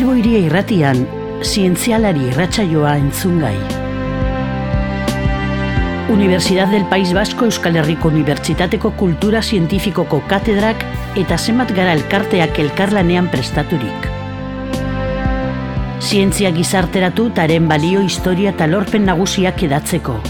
Bilbo Hiria Irratian, zientzialari irratsaioa entzungai. Universidad del País Vasco Euskal Herriko Unibertsitateko Kultura Zientifikoko katedrak eta zenbat gara elkarteak elkarlanean prestaturik. Zientzia gizarteratu eta haren balio, historia eta lorpen nagusiak edatzeko.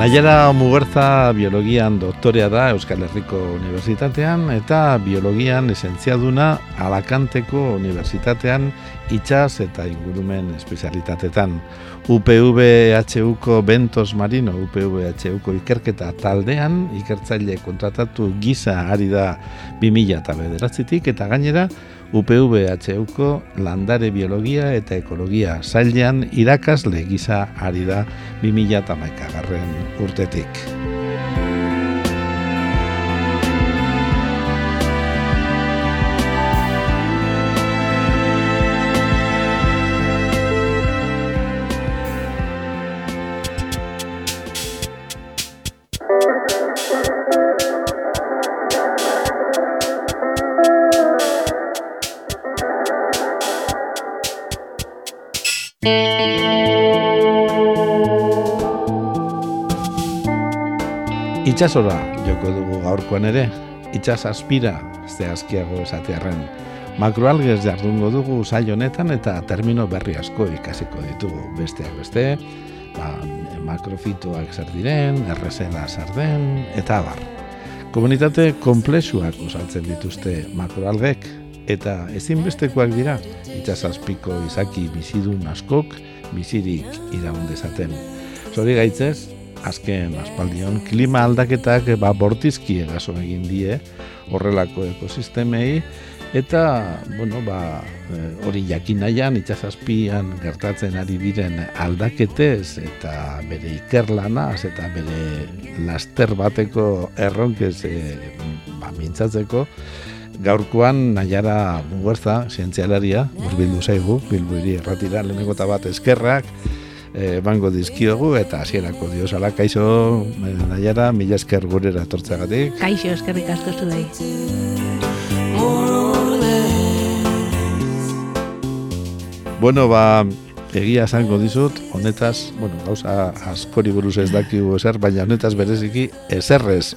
Naiara Muguerza biologian doktorea da Euskal Herriko Unibertsitatean eta biologian esentziaduna Alakanteko Unibertsitatean itsas eta ingurumen espezialitatetan. UPV-HUko Bentos Marino, UPV-HUko ikerketa taldean ikertzaile kontratatu gisa ari da 2009tik eta gainera UPV-HUko landare biologia eta ekologia sailean irakasle gisa ari da 2011 urtetik. Itsasora joko dugu gaurkoan ere, itsas azpira, zehazkiago esatearren. Makroalgez jardungo dugu saio honetan eta termino berri asko ikasiko ditugu. Besteak beste, makrofitoak zer diren, errezela zer den, eta abar. Komunitate konplexuak osatzen dituzte makroalgek, eta ezinbestekoak dira, itsasazpiko izaki bizidun askok bizirik iraun dezaten. Zorigaitzez, azken aspaldion klima aldaketak bortizki eraso egin die horrelako ekosistemei eta hori jakin nahian itsasazpian gertatzen ari diren aldaketez eta bere ikerlanaz eta bere laster bateko erronkez mintzatzeko gaurkoan Naiara Muguerza, zientzialaria, hurbildu zaigu, Bilbo Hiria Irratira, lehenengo eta bat eskerrak bango dizkiogu eta hasierako diosala. Kaixo, Naiara, mila esker gurera etortzeagatik. Kaixo, eskerrik asko zuei. Bueno, egia esango dizut, honetaz, gauza askori buruz ez dakigu ezer, baina honetaz bereziki ezerrez.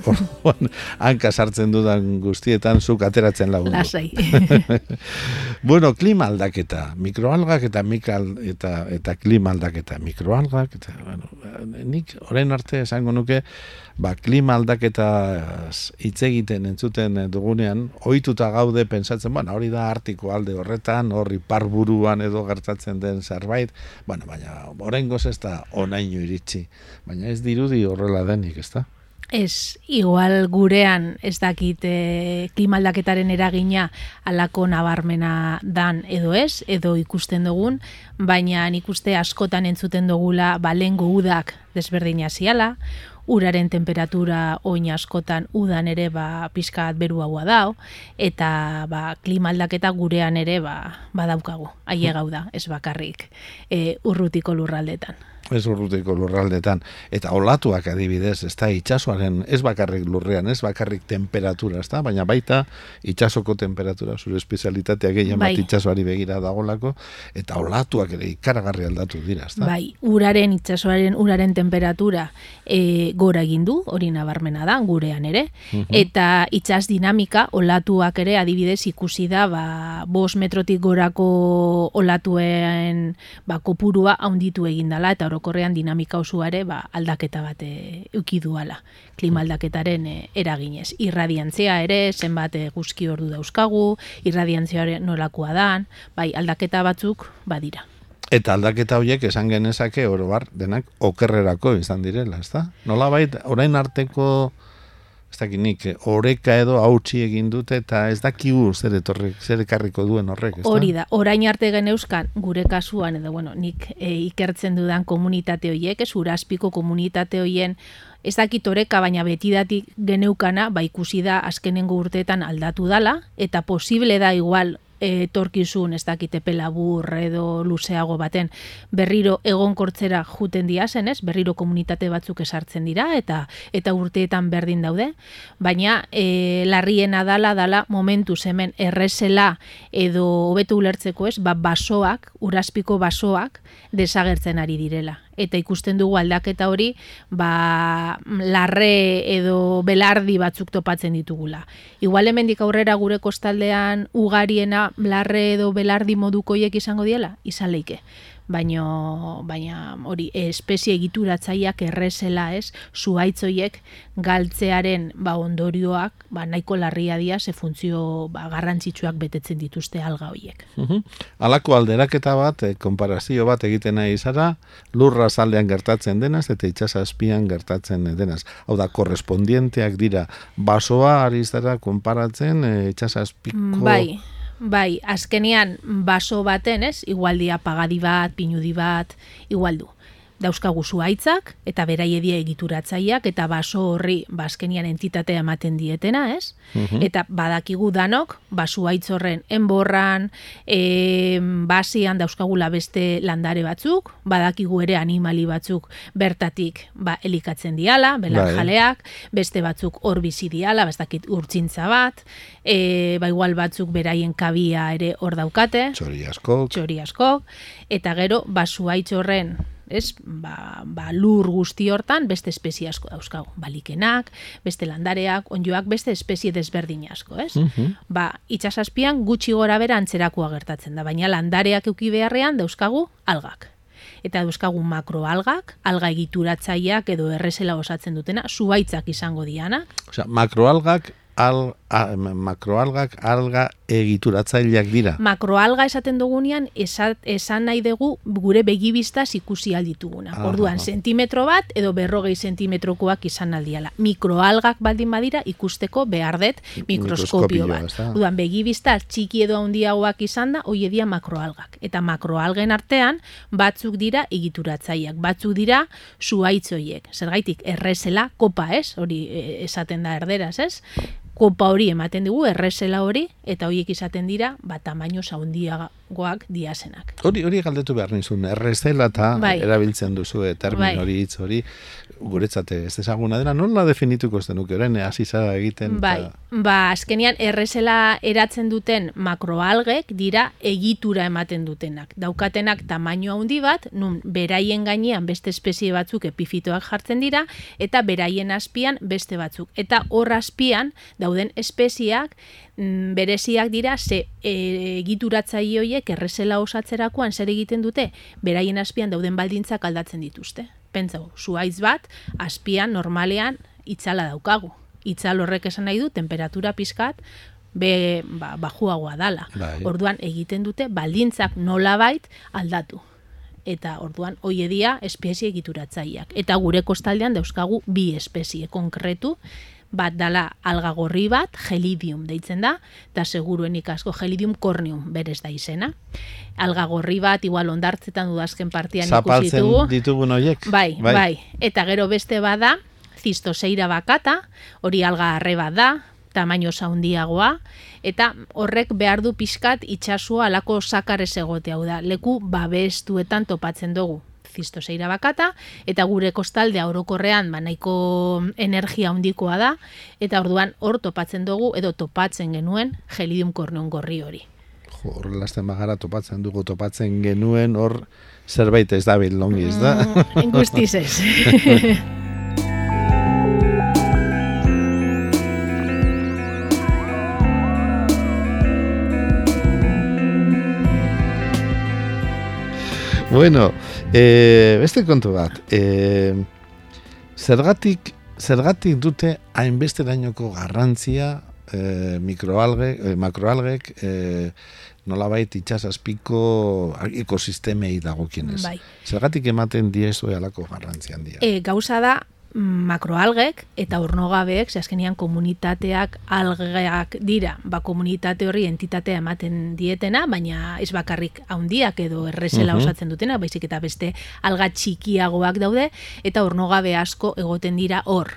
Hanka sartzen dudan guztietan zuk ateratzen lagundu. Lasai. Klima aldaketa, mikroalgak eta klima aldaketa, mikroalgak, eta, nik orain arte esango nuke, klima aldaketa hitz egiten entzuten dugunean, ohituta gaude pentsatzen, hori da Artiko alde horretan, hori parburuan edo gertatzen den zerbait, baina oraingoz ez da honaino iritsi, baina ez dirudi horrela denik, ez da? Ez, igual gurean ez dakit klima aldaketaren eragina halako nabarmena dan edo ez, edo ikusten dugun, baina nik uste askotan entzuten dugula lehengo udak desberdina ziala, uraren temperatura oin askotan udan ere pixkat beruagoa dau, eta klima aldaketa gurean ere badaukagu, ailegau da, ez bakarrik urrutiko lurraldetan. Ez urrutiko lurraldetan. Eta olatuak adibidez, ez da itsasoaren, ez bakarrik lurrean, ez bakarrik temperatura, ez da, baina baita itsasoko temperatura, zure espezialitatea gehien bat itsasoari begira dagolako, eta olatuak ere ikaragarri aldatu dira, ez da? Uraren, itsasoaren uraren temperatura gora egin du, hori nabarmena da, gurean ere, eta itsas dinamika, olatuak ere adibidez ikusi da, 5 metrotik gorako olatuen kopurua haunditu egin dela, eta orokorrean dinamika osoare aldaketa bat eduki duala klima aldaketaren eraginez. Irradiantzia ere, zenbat guzki ordu dauzkagu, irradiantzia nolakoa dan, aldaketa batzuk badira. Eta aldaketa horiek esan genezake orobar denak okerrerako izan direla, ezta? Nolabait orain arteko ez dakinik, oreka edo hautsi egin dute eta ez dakigu zer ekarriko duen horrek, ezta? Hori da, orain arte geneuzkan gure kasuan edo nik ikertzen dudan komunitate horiek, Uraspiko komunitate horien ez dakit oreka, baina betidatik geneukana, ikusi da azkenengo urteetan aldatu dala, eta posible da igual torkizun, ez dakite pelabur edo luzeago baten, berriro egonkortzera juten diazen, ez? Berriro komunitate batzuk esartzen dira, eta urteetan berdin daude, baina larriena dala momentuz hemen errezela edo hobeto ulertzeko, ez? Basoak, urazpiko basoak desagertzen ari direla. Eta ikusten dugu aldaketa hori, larre edo belardi batzuk topatzen ditugula. Igual hemendik aurrera gure kostaldean ugariena larre edo belardi modukoiek izango diela, izan leike. Baina hori espezie egituratzaileak errezela, ez, zuhaitzoiek galtzearen ondorioak nahiko larria dira, ze funtzio garrantzitsuak betetzen dituzte alga horiek. Halako alderaketa bat, konparazio bat egiten nahi zara, lurra zaldean gertatzen denaz eta itsasazpian gertatzen denaz. Hau da, korrespondienteak dira, basoa ari zara konparatzen itsasazpiko... Bai, azkenean baso baten, ez, igualdia pagadi bat, pinudi bat, igualdu. Dauzkagu zuhaitzak eta beraiedia egituratzaileak eta baso horri azkenean entitatea ematen dietena, ez? Eta badakigu danok, zuhaitz horren enborran, basian dauzkagula beste landare batzuk, badakigu ere animali batzuk bertatik elikatzen diala, belarjaleak, beste batzuk hor bizi diala, bastakit urtzintza bat, igual batzuk beraien kabia ere hor daukate, txori askok, eta gero zuhaitz horren, ez, lur guzti hortan beste espezie asko dauzkagu, balikenak, beste landareak, onjoak, beste espezie desberdin asko, ez? Itsasazpian gutxi gora bera antzerakoa gertatzen da, baina landareak euki beharrean dauzkagu algak. Eta dauzkagu makroalgak, alga egituratzaileak edo errezela osatzen dutena, zuhaitzak izango dianak. Osea, makroalgak alga egituratzaileak dira. Makroalga esaten dugunean, esan nahi dugu gure begibistaz ikusi aldituguna. Orduan, sentimetro bat edo 40 sentimetrokoak izan aldiala. Mikroalgak baldin badira ikusteko behar dut mikroskopio bat. Orduan, begibista txiki edo handiagoak izan da, hoi edia makroalgak. Eta makroalgen artean, batzuk dira egituratzaileak, batzuk dira zuhaitzoiek. Zergaitik, errezela, kopa, ez? Hori esaten da erderaz, ez? Kopa hori ematen dugu, errezela hori, eta horiek izaten dira, tamaino handiagoak diazenak. Hori galdetu behar nizun, errezela eta erabiltzen duzu termin hori, hitz hori, guretzat ez ezaguna dena, nola definituko ez denuke, orain hasi zara egiten? Azkenean errezela eratzen duten makroalgek dira egitura ematen dutenak. Daukatenak tamaino handi bat, nun beraien gainean beste espezie batzuk epifitoak jartzen dira, eta beraien azpian beste batzuk. Eta hor azpian dauden espeziak bereziak dira, ze egituratzaile horiek errezela osatzerakoan zer egiten dute, beraien azpian dauden baldintzak aldatzen dituzte. Pentsau, zuhaitz bat, azpian normalean itzala daukagu. Itzal horrek esan nahi du, temperatura pizkat, bajuagoa dala. Orduan egiten dute baldintzak nolabait aldatu. Eta orduan hoiedia espezie egituratzaileak. Eta gure kostaldean dauzkagu 2 espezie konkretu, bat dala alga gorri bat, gelidium deitzen da, eta seguruenik asko gelidium corneum berez da izena. Alga gorri bat, igual ondartzetan dudazken partian ikusi ditugu. Zapaltzen ditugun horiek? Bai. Eta gero beste bada, Cistoseira bakata, hori alga arre bat da, tamaino handiagoa, eta horrek behar du pixkat itxasua alako sakarez egote, hau da, leku babestuetan topatzen dugu. Cistoseira bakata, eta gure kostaldea orokorrean nahiko energia handikoa da, eta orduan hor topatzen dugu, edo topatzen genuen gelidium corneum gorri hori. Horrelazten bagara topatzen genuen, hor zerbait ez da longi, ez da? Guztiz ez. Bueno, beste kontu bat, zergatik dute hainbesterainoko garrantzia makroalgek nolabait itsasazpiko ekosistemei dagokienez. Zergatik ematen diezu halako garrantzi handia? Gauza da, makroalgek eta ornogabeek, azkenean komunitateak algeak dira, komunitate horri entitatea ematen dietena, baina ez bakarrik handiak edo errezela osatzen dutena, baizik eta beste alga txikiagoak daude, eta ornogabe asko egoten dira hor.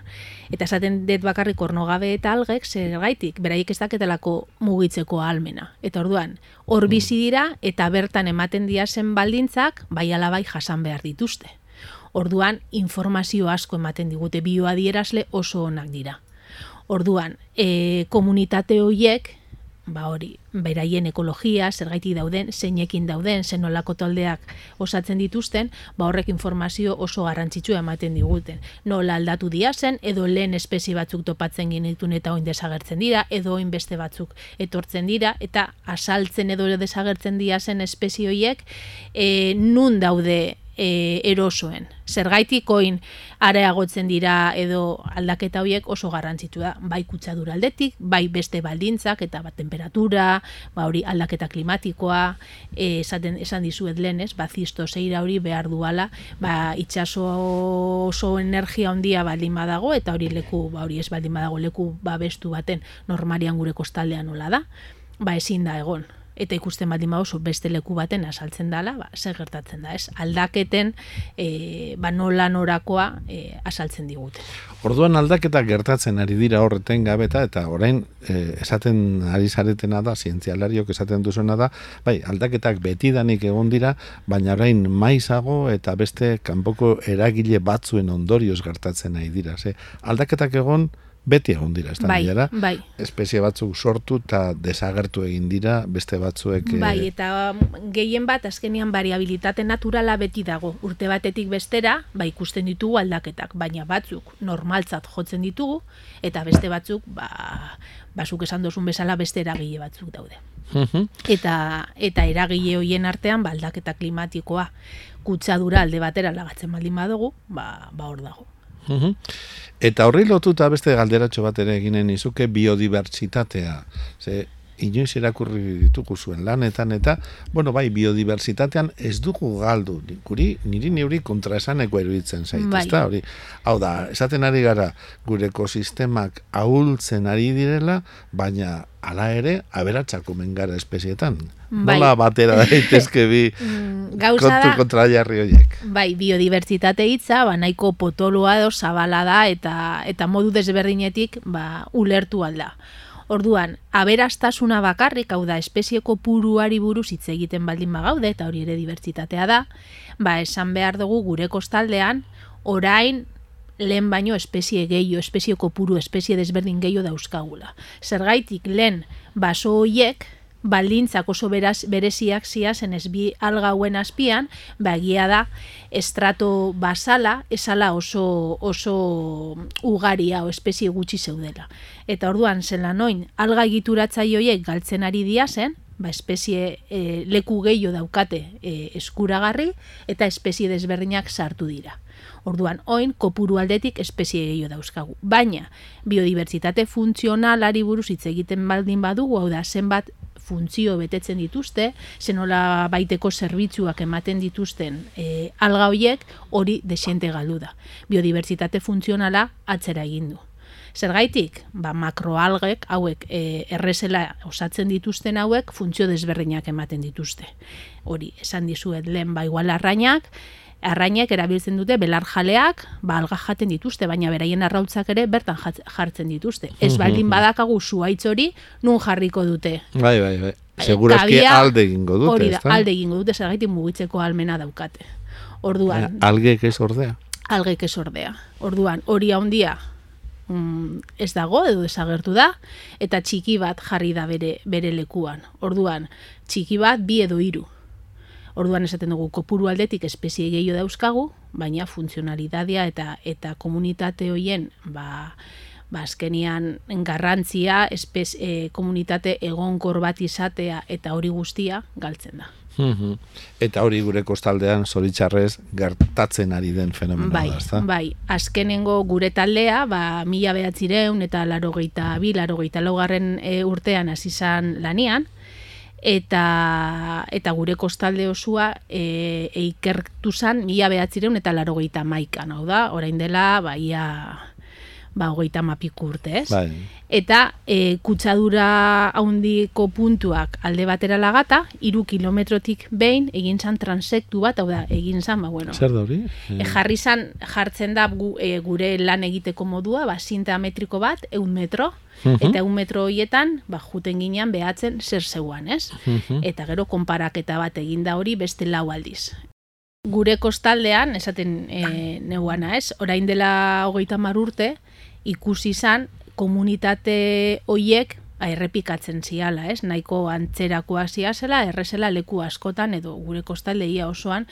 Eta esaten dut bakarrik ornogabe eta algek, zergaitik, beraiek ez daketelako mugitzeko ahalmena. Eta orduan, hor bizi dira, eta bertan ematen diazen baldintzak, bai alabai jasan behar dituzte. Orduan, informazio asko ematen digute, bioadierazle oso onak dira. Orduan, komunitate horiek, beraien ekologia, zergaitik dauden, zeinekin dauden, zenolako taldeak osatzen dituzten, horrek informazio oso garrantzitsua ematen diguten. Nola aldatu diazen, edo lehen espezie batzuk topatzen genitun eta oin desagertzen dira, edo oin beste batzuk etortzen dira, eta asaltzen edo desagertzen diazen espezie horiek, nun daude erosoen. Zergaitik oin areagotzen dira edo aldaketa horiek oso garrantzitsua da, bai kutsadura aldetik, bai beste baldintzak eta temperatura, hori aldaketa klimatikoa, esan dizuet lehenez, zistoseira hori behar duala, itxaso oso energia handia baldin badago, eta hori leku, hori ez baldin badago leku babestu baten normalian gure kostaldean nola da, ezin da egon. Eta ikusten baldin oso beste leku baten asaltzen dela, zer gertatzen da, ez? Aldaketen nola norakoa asaltzen digute. Orduan aldaketak gertatzen ari dira horreten gabeta, eta orain esaten ari zaretena da, zientzialariok esaten duzuena da, aldaketak betidanik egon dira, baina orain maizago eta beste kanpoko eragile batzuen ondorioz gertatzen ari dira. Aldaketak egon beti egon dira, ez da dira? Bai. Espezie batzuk sortu eta desagertu egin dira, beste batzuek... Eta gehien bat, azkenean variabilitate naturala beti dago. Urte batetik bestera, ikusten ditugu aldaketak, baina batzuk normaltzat jotzen ditugu, eta beste batzuk, zuk esan dozun bezala beste eragile batzuk daude. Eta eragile horien artean, aldaketa klimatikoa kutsadura alde batera lagatzen baldin badugu, hor dago. Eta horri lotuta beste galderatxo bat ere eginen izuke biodibertsitatea. Inoiz irakurri ditugu zuen lanetan eta, biodibertsitatean ez dugu galdu. Niri neuri kontraesaneko eruditzen zait, ezta hori. Hau da, esaten ari gara gure ekosistemak ahultzen ari direla, baina hala ere aberatsak omen gara espezietan. Nola batera daitezke bi kontu kontrajarri horiek. Biodibertsitate hitza, nahiko potoloa edo zabala da eta modu desberdinetik ulertu alda. Orduan, aberastasuna bakarrik, hau da, espezie kopuruari buruz hitz egiten baldin bagaude, eta hori ere dibertsitatea da, esan behar dugu gure kostaldean, orain lehen baino espezie gehiago, espezie kopuru, espezie desberdin gehiago dauzkagula. Zergaitik lehen baso horiek, baldintzak oso bereziak ziazen ez bi alga hauen azpian, egia da, estrato basala, esala oso ugaria o espezie gutxi zeudela. Eta orduan, zelan oin, alga egituratzaioiek galtzen ari diazen, espezie leku gehiago daukate eskuragarri, eta espezie desberdinak sartu dira. Orduan, oin, kopuru aldetik espezie gehiago dauzkagu. Baina, biodibertsitate funtzionalari buruz hitz egiten baldin badugu, hau da, zenbat funtzio betetzen dituzte, zenola baiteko zerbitzuak ematen dituzten alga horiek, hori desiente galdu da. Biodibertsitate funtzionala atzera egin du. Zergaitik, makroalgek hauek errezela osatzen dituzten hauek funtzio desberdinak ematen dituzte. Hori, esan dizuet lehen igual arrainek erabiltzen dute belarjaleak, alga jaten dituzte, baina beraien arrautzak ere bertan jartzen dituzte. Ez baldin badakagu zuhaitz hori, nun jarriko dute. Bai. Segurazki alde egingo dute. Hori da, alde egingo dute, zergaitik mugitzeko ahalmena daukate. Orduan... Algek ez ordea? Algek ez ordea. Orduan, hori handia ez dago edo desagertu da, eta txiki bat jarri da bere lekuan. Orduan, txiki bat 2 edo 3. Orduan esaten dugu kopuru aldetik espezie gehiago dauzkagu, baina funtzionalitatea eta komunitate horien azkenian garrantzia komunitate egonkor bat izatea eta hori guztia galtzen da. Eta hori gure kostaldean zoritxarrez gertatzen ari den fenomenoa da, ezta? Bai, azkenengo gure taldea, 1982 eta 1984 urtean hasi izan lanean, eta gure kostalde osua ikertu zan 1981, hau da, orain dela, ia 30 urte, ez? Bai. Eta kutsadura handiko puntuak alde batera lagata, 3 kilometrotik behin egin zan transektu bat, hau da, egin zan, Zer da hori? Jartzen da gure lan egiteko modua, zinta metriko bat, 100 metro, eta 100 metro horietan, juten ginean behatzen zer zeuan, ez? Eta gero konparaketa bat egin da hori beste 4 aldiz. Gure kostaldean, esaten neuana, ez? Orain dela 30 urte, ikusi izan komunitate hoiek errepikatzen ziala, ez? Nahiko antzerakoa ziazela, errezela leku askotan edo gure kostaldeia osoan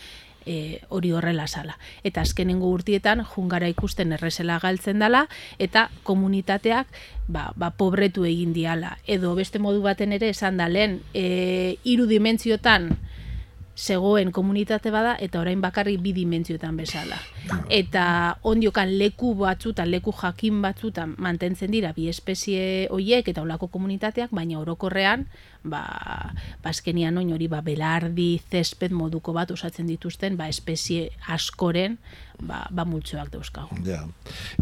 hori horrela zala. Eta azkenengo urtietan jungara ikusten errezela galtzen dela eta komunitateak pobretu egin diala. Edo beste modu baten ere esan da lehen 3 dimentsiotan zegoen komunitate bada eta orain bakarrik 2 dimentziotan bezala. Eta ondiokan leku batzutan, leku jakin batzutan mantentzen dira bi espezie hoiek eta olako komunitateak, baina orokorrean azkenian oin hori belardi, zesped moduko bat osatzen dituzten espezie askoren multzoak dauzkagu. Ja.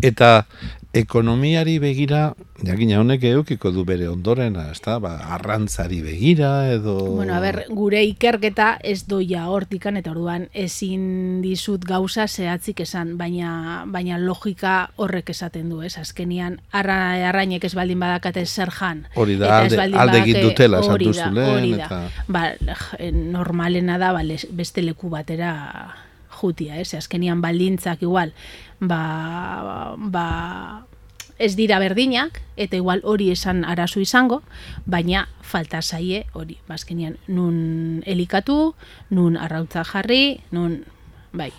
Eta ekonomiari begira, jakina honek edukiko du bere ondorena, ezta? Arrantzari begira edo... gure ikerketa ez doia hortikan, eta orduan ezin dizut gauza zehatzik esan, baina logika horrek esaten du, ez? Azkenian arrainek ez baldin badakate zer jan. Hori da, alde egin dutela esan duzu lehen. Hori da. Normalena da beste leku batera jutia, ez? Azkenian baldintzak igual, ez dira berdinak, eta igual hori esan arazo izango, baina falta zaie hori. Azkenian nun elikatu, nun arrautza jarri, nun... Bai.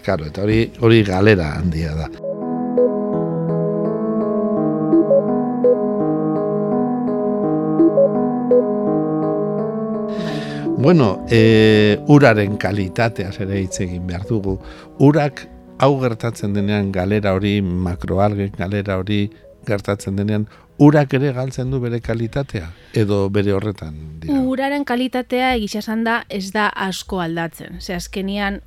Claro, eta hori galera handia da. Bueno, uraren kalitateaz ere hitz egin behar dugu. Urak hau gertatzen denean galera hori, makroalgen galera hori gertatzen denean, urak ere galtzen du bere kalitatea edo bere horretan dira? Uraren kalitatea egisa esan da ez da asko aldatzen. Ze azkenian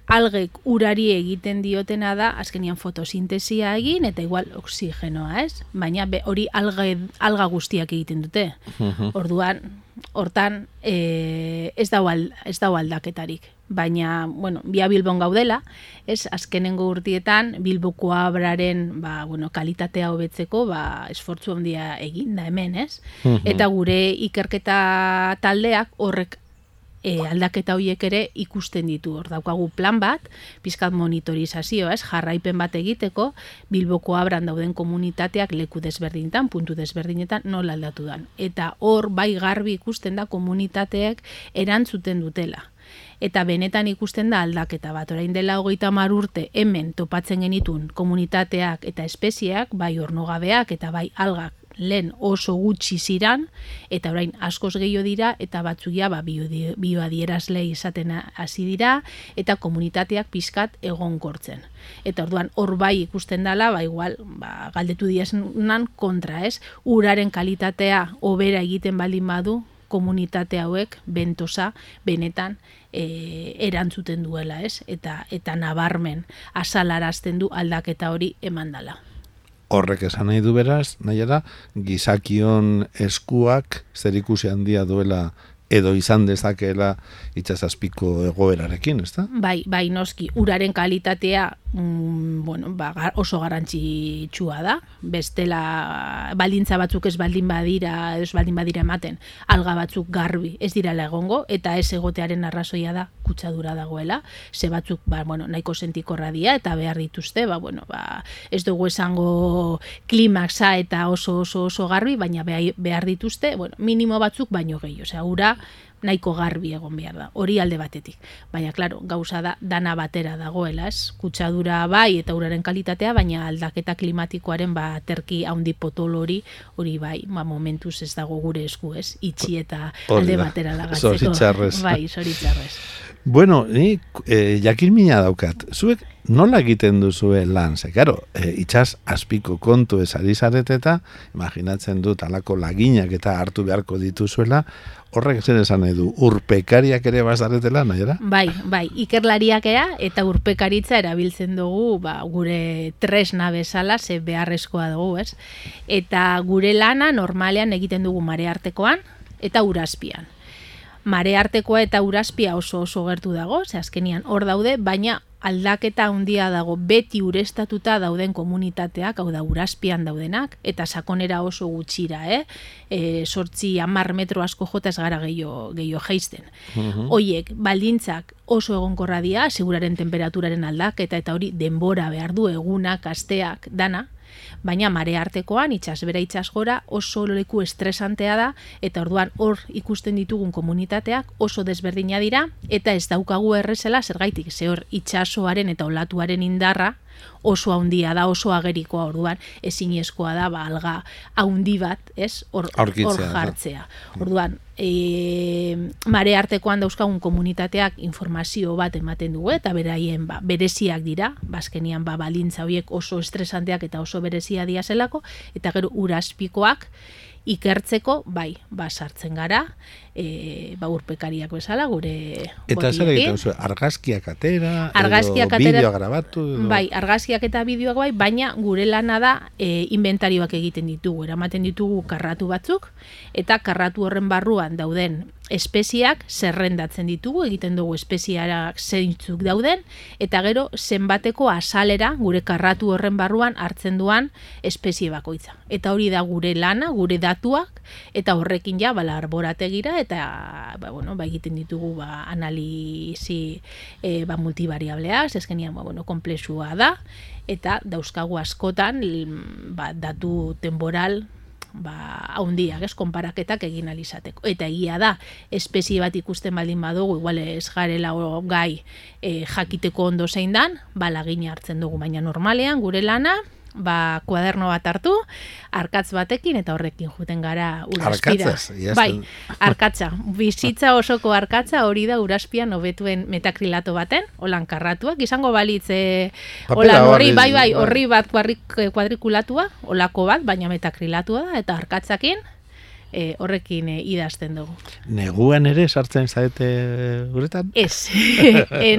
algek urari egiten diotena da azkenian fotosintesia egin eta igual oksigenoa, ez? Baina hori alga guztiak egiten dute. Orduan, hortan ez dago aldaketarik. Baina, bia Bilbon gaudela, ez azkenengo urtietan Bilboko abraren kalitatea hobetzeko esfortzu handia egin da hemen, ez? Eta gure ikerketa taldeak horrek aldaketa horiek ere ikusten ditu. Hor daukagu plan bat, pizkat monitorizazio, ez? Jarraipen bat egiteko, Bilboko abran dauden komunitateak leku desberdinetan, puntu desberdinetan nola aldatu dan. Eta hor garbi ikusten da komunitateek erantzuten dutela. Eta benetan ikusten da aldaketa bat. Orain dela 30 urte hemen topatzen genitun komunitateak eta espezieak, bai ornogabeak eta bai algak lehen oso gutxi ziran, eta orain askoz gehiago dira, eta batzuia bioadierazle izaten hasi dira, eta komunitateak pizkat egonkortzen. Eta orduan hor bai ikusten dela, igual, galdetu diazenan kontra, ez? Uraren kalitatea hobera egiten baldin badu, komunitate hauek bentosa benetan erantzuten duela, ez? Eta nabarmen azalarazten du aldaketa hori emandala. Horrek esan nahi du beraz, nahi da, gizakion eskuak zerikusi handia duela edo izan dezakeela itsasazpiko egoerarekin, ezta? Bai, noski, uraren kalitatea oso garrantzitsua da. Bestela baldintza batzuk ez baldin badira ematen, alga batzuk garbi ez direla egongo, eta ez egotearen arrazoia da kutsadura dagoela. Ze batzuk nahiko sentikorra dira eta behar dituzte, ez dugu esango klimaxa eta oso garbi, baina behar dituzte, minimo batzuk baino gehiago. Osea, ura nahiko garbi egon behar da, hori alde batetik. Baina, klaro, gauza da dana batera dagoela, ez? Kutsadura bai eta uraren kalitatea, baina aldaketa klimatikoaren terki handi potolo hori bai, momentuz ez dago gure esku, ez? Itxi eta alde batera lagatzeko. Zoritzarrez. Bai, zoritzarrez. Bueno, ni jakin mina daukat. Zuek nola egiten duzue lan? Ze, karo, itxas azpiko kontu ez ari zarete eta imaginatzen dut alako laginak eta hartu beharko dituzuela, horrek zer esan nahi du, urpekariak ere bazaretela, nahi era? Bai, ikerlariak eta urpekaritza erabiltzen dugu gure tresna bezala, ze beharrezkoa dugu, ez? Eta gure lana normalean egiten dugu mareartekoan eta urazpian. Mareartekoa eta urazpia oso gertu dago, ze azkenian hor daude, baina aldaketa handia dago beti ureztatuta dauden komunitateak, hau da urazpian daudenak, eta sakonera oso gutxira, 8-10 metro asko jota ez gara gehiago jaisten. Hoiek, baldintzak oso egonkorra dira, seguraren temperaturaren aldaketa eta hori denbora behar du egunak, asteak, dana, baina mareartekoan, itsasbera itsasgora oso leku estresantea da, eta orduan hor ikusten ditugun komunitateak oso desberdina dira, eta ez daukagu errezela zergaitik, ze hor itsasoaren eta olatuaren indarra oso handia da, oso agerikoa, orduan ezinezkoa da alga handi bat, ez? Hor jartzea. Orduan, mareartekoan dauzkagun komunitateak informazio bat ematen dugu, eta beraien bereziak dira, bazkenian balintza horiek oso estresanteak eta oso berezia dira zelako, eta gero urazpikoak ikertzeko, sartzen gara, urpekariak bezala, gure eta zer egiten zu, argazkiak atera, edo bideoa grabatu? Bai, argazkiak eta bideoak baina gure lana da inventarioak egiten ditugu, eramaten ditugu karratu batzuk, eta karratu horren barruan dauden espeziak zerrendatzen ditugu, egiten dugu espeziarak zeintzuk dauden, eta gero zenbateko azalera gure karratu horren barruan hartzen duan espezie bakoitza. Eta hori da gure lana, gure datuak, eta horrekin arborategira, eta egiten ditugu analizi multivariableak, ezkenian komplexua da, eta dauzkagu askotan datu temporal haundiak, konparaketak egin alizateko. Eta egia da, espezie bat ikusten baldin badugu, igual ez garela gai jakiteko ondo zein dan, lagina hartzen dugu, baina normalean gure lana, kuaderno bat hartu, arkatz batekin, eta horrekin juten gara urazpira. Arkatzaz? Bai, arkatza. Bizitza osoko arkatza hori da urazpian hobetuen metakrilato baten, holan karratuak, izango balitz horri bat kuadrikulatua, holako bat, baina metakrilatua da, eta arkatzakin horrekin idazten dugu. Neguan ere sartzen zaete guretan? Ez.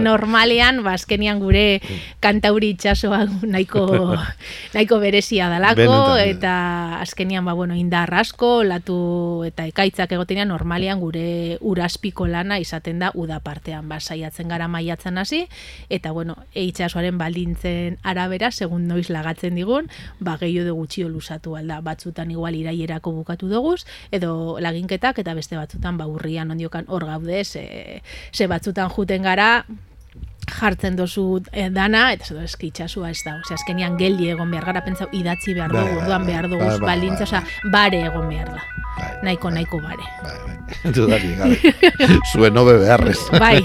Normalean, azkenian gure kantauri itxasoa nahiko berezia dalako, eta azkenian indar asko, latu eta ekaitzak egotenean, normalean gure urazpiko lana izaten da uda partean, saiatzen gara maiatzen hasi, eta itxasoaren baldintzen arabera, segun noiz lagatzen digun, gehiago gutxio luzatu alda, batzutan igual iraierako bukatu duguz, edo laginketak, eta beste batzutan urrian ondiokan hor gaude, ze batzutan juten gara, jartzen dozu dana, eta zedo itxasua ez da. Azkenian geldi egon behar gara, pentsau idatzi behar dugu, orduan behar dugu, balintza, bare egon behar da. Nahiko bare. Dudari, gabe. Zuen hobe beharrez. Bai.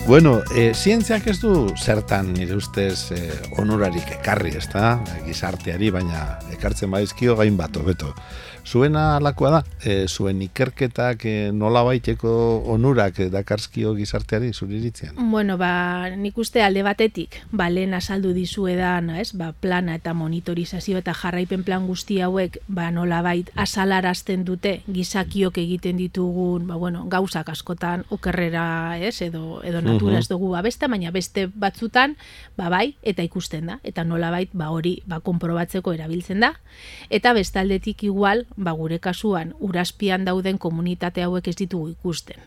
Bueno, zientziak ez du zertan nire ustez onurarik ekarri, ez da? Gizarteari, baina ekartzen badizkio gain bat hobeto. Zuena alakoa da, zuen ikerketak nola baiteko onurak dakarzkio gizarteari, zure iritzean? Bueno, nik uste alde batetik, lehen azaldu dizuedan, plana eta monitorizazio eta jarraipen plan guzti hauek, nola bait azalarazten dute gizakiok egiten ditugun, gauzak askotan okerrera, edo natura ez dugu abesta, baina beste batzutan, bai, eta ikusten da, eta nola bait, hori, konprobatzeko erabiltzen da, eta bestaldetik igual, gure kasuan urazpian dauden komunitate hauek ez ditugu ikusten.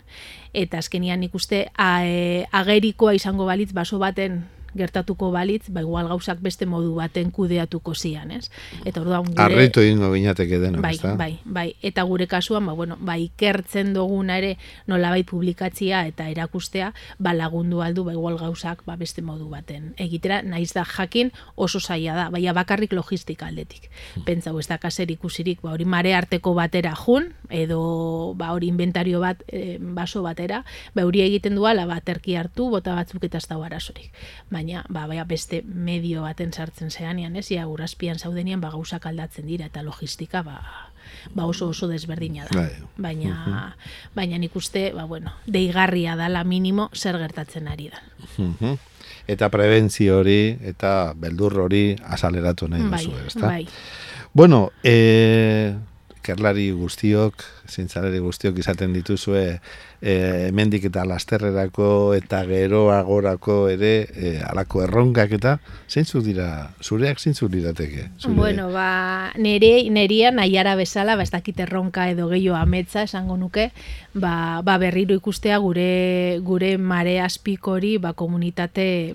Eta azkenian ikuste agerikoa izango balitz baso baten gertatuko balitz, igual gauzak beste modu baten kudeatuko zian, ez? Eta orduan gure... Arritu egingo binateke denok, ez da? Bai. Eta gure kasuan, ikertzen duguna ere nolabait publikatzia eta erakustea, lagundu aldu, igual gauzak beste modu baten egitera, naiz da jakin oso zaila da, baina bakarrik logistika aldetik. Pentsau, ez da kaser ikusirik, hori mare arteko batera jun, edo hori inventario bat, baso batera, hori egiten duala, terki hartu, bota batzuk eta ez da arazorik. Baina baina beste medio baten sartzen zeanean, ez? Ia urazpian zaudenian gauzak aldatzen dira eta logistika oso desberdina da. Baina nik uste, deigarria dala minimo zer gertatzen ari da. Eta prebentzio hori eta beldur hori azaleratu nahi duzu, ezta? Bai. Bueno, ikerlari guztiok, zientzialari guztiok izaten dituzue hemendik eta lasterrerako eta geroagorako ere halako erronkak eta zureak zeintzuk lirateke? Bueno, neria nahiara bezala, ez dakit erronka edo gehiago ametsa esango nuke, berriro ikustea gure mare azpikori komunitate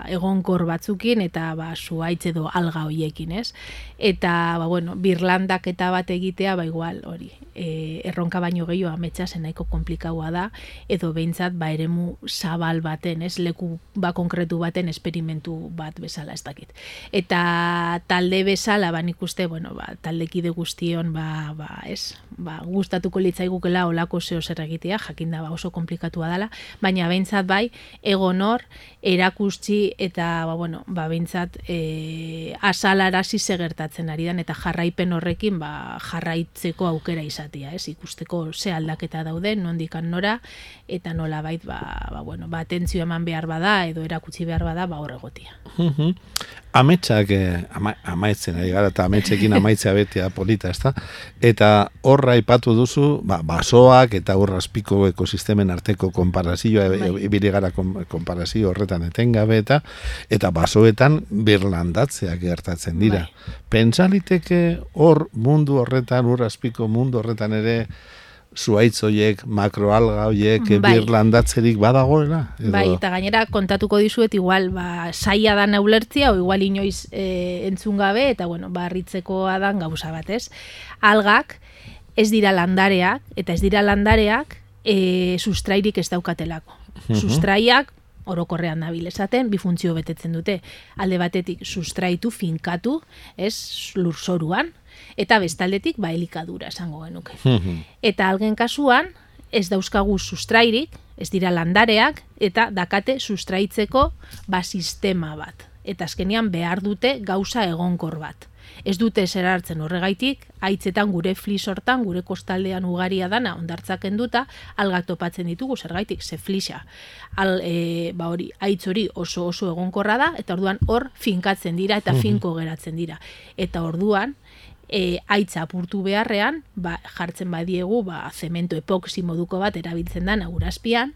egonkor batzukin eta zuhaitz edo alga hoiekin, ez? Eta, birlandak eta bat egitea, igual, hori, erronka baino gehiago ametsa nahiko konplikaua da, edo behintzat eremu zabal baten, ez, leku konkretu baten esperimentu bat bezala, ez dakit. Eta talde bezala, nik uste, taldekide guztion, gustatuko litzaigukela olako zeo zer egitea, jakinda oso komplikatua dela, baina behintzat egon hor, erakustzi eta, behintzat azalarasi segertatzen ari dan, eta jarraipen horrekin, jarraitzeko aukera izatea, ez, ikusteko ze aldaketa dauden, nondikan nora, eta nola bait, atentzio eman behar bada, edo erakutsi behar bada, hor egotia. Ametsak amaitzen ari gara, eta ametsekin amaitzea betea polita, ezta? Eta horra aipatu duzu, basoak eta urrazpiko ekosistemen arteko konparazioa, ibili gara konparazio horretan etengabe, eta basoetan birlandatzeak gertatzen dira. Pentsaliteke hor mundu horretan, urrazpiko mundu horretan ere, zuhaitz horiek, makroalga horiek, birlandatzerik badagoela? Eta gainera kontatuko dizuet, igual, saia da neulertzia, o igual inoiz entzun gabe, eta, harritzekoa dan gauza bat, ez? Algak ez dira landareak, eta ez dira landareak sustrairik ez daukatelako. Sustraiak, orokorrean dabil esaten, bi funtzio betetzen dute. Alde batetik sustraitu, finkatu, ez, lurzoruan, eta bestaldetik elikadura esango genuke. Eta algen kasuan, ez dauzkagu sustrairik, ez dira landareak, eta dakate sustraitzeko sistema bat. Eta azkenean behar dute gauza egonkor bat. Ez dute zer hartzen horregaitik, haitzetan gure flis hortan, gure kostaldean ugaria dana ondartzak enduta, algak topatzen ditugu zergaitik, ze flisa. Haitz hori oso egonkorra da, eta orduan hor finkatzen dira eta finko geratzen dira. Eta orduan, haitza apurtu beharrean, jartzen badiegu, zemento epoxi moduko bat erabiltzen da urazpian,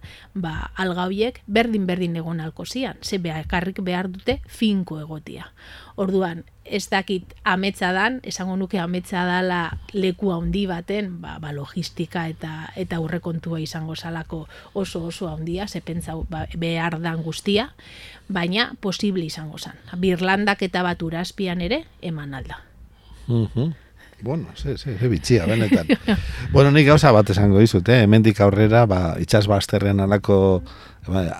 alga horiek berdin egon alko zian, ze beharrik behar dute finko egotia. Orduan, ez dakit ametsa dan, esango nuke ametsa dala leku handi baten, logistika eta aurrekontua izango salako oso handia, ze pentsau behar dan guztia, baina posible izango zan. Birlandak eta bat urazpian ere eman alda. Bueno, ze bitxia, benetan. Bueno, nik gauza bat esango dizut, hemendik aurrera, itsas bazterrean alako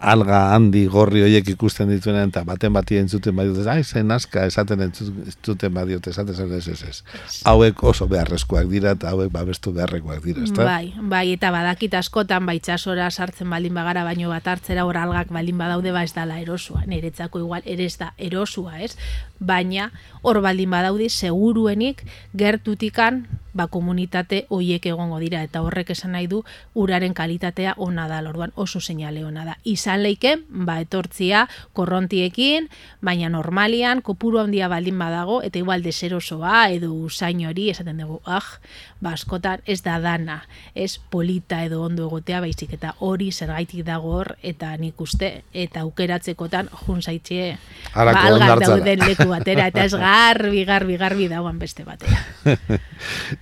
alga handi gorri horiek ikusten dituenean, eta baten bati entzuten badiot, zen aska esaten entzuten badiot, esaten ez. Hauek oso beharrezkoak dira, eta hauek babestu beharrekoak dira, ezta? Bai, eta badakit askotan, itsasora sartzen baldin bagara, baino bat hartzera hor algak baldin badaude, ez dala erosua, niretzako igual, ere ez da erosua, ez? Baina, hor baldin badaudi, seguruenik gertutikan, komunitate hoiek egongo dira, eta horrek esan nahi du uraren kalitatea ona da, orduan oso seinale ona da. Izan leiken, etortzia korrontiekin, baina normalian, kopuru handia baldin badago, eta igual deserosoa, edo usain hori, esaten dugu, askotan ez da dana, ez polita edo ondo egotea, baizik, eta hori zergaitik dago hor, eta nik uste, eta aukeratzekotan, junzaitxe, algak dauden leku batera, eta ez garbi dagoan beste batera.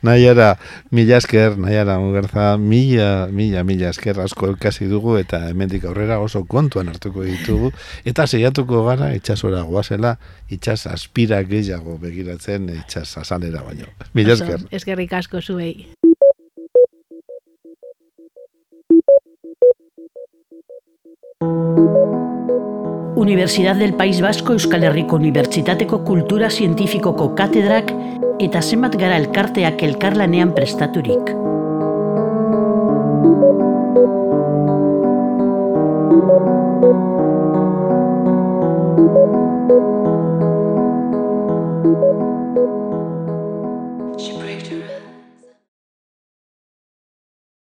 Naiara, mila esker, Mugerza, mila esker asko elkasi dugu, eta hemendik aurrera oso kontuan hartuko ditugu, eta seiatuko gara itsasora goazela, itsas aspira gehiago begiratzen itsas azalera baino. Mila esker. Eskerrik asko zuei. Universidad del País Vasco Euskal Herriko Unibertsitateko Kultura Zientifikoko katedrak eta zenbat gara elkarteak elkarlanean prestaturik.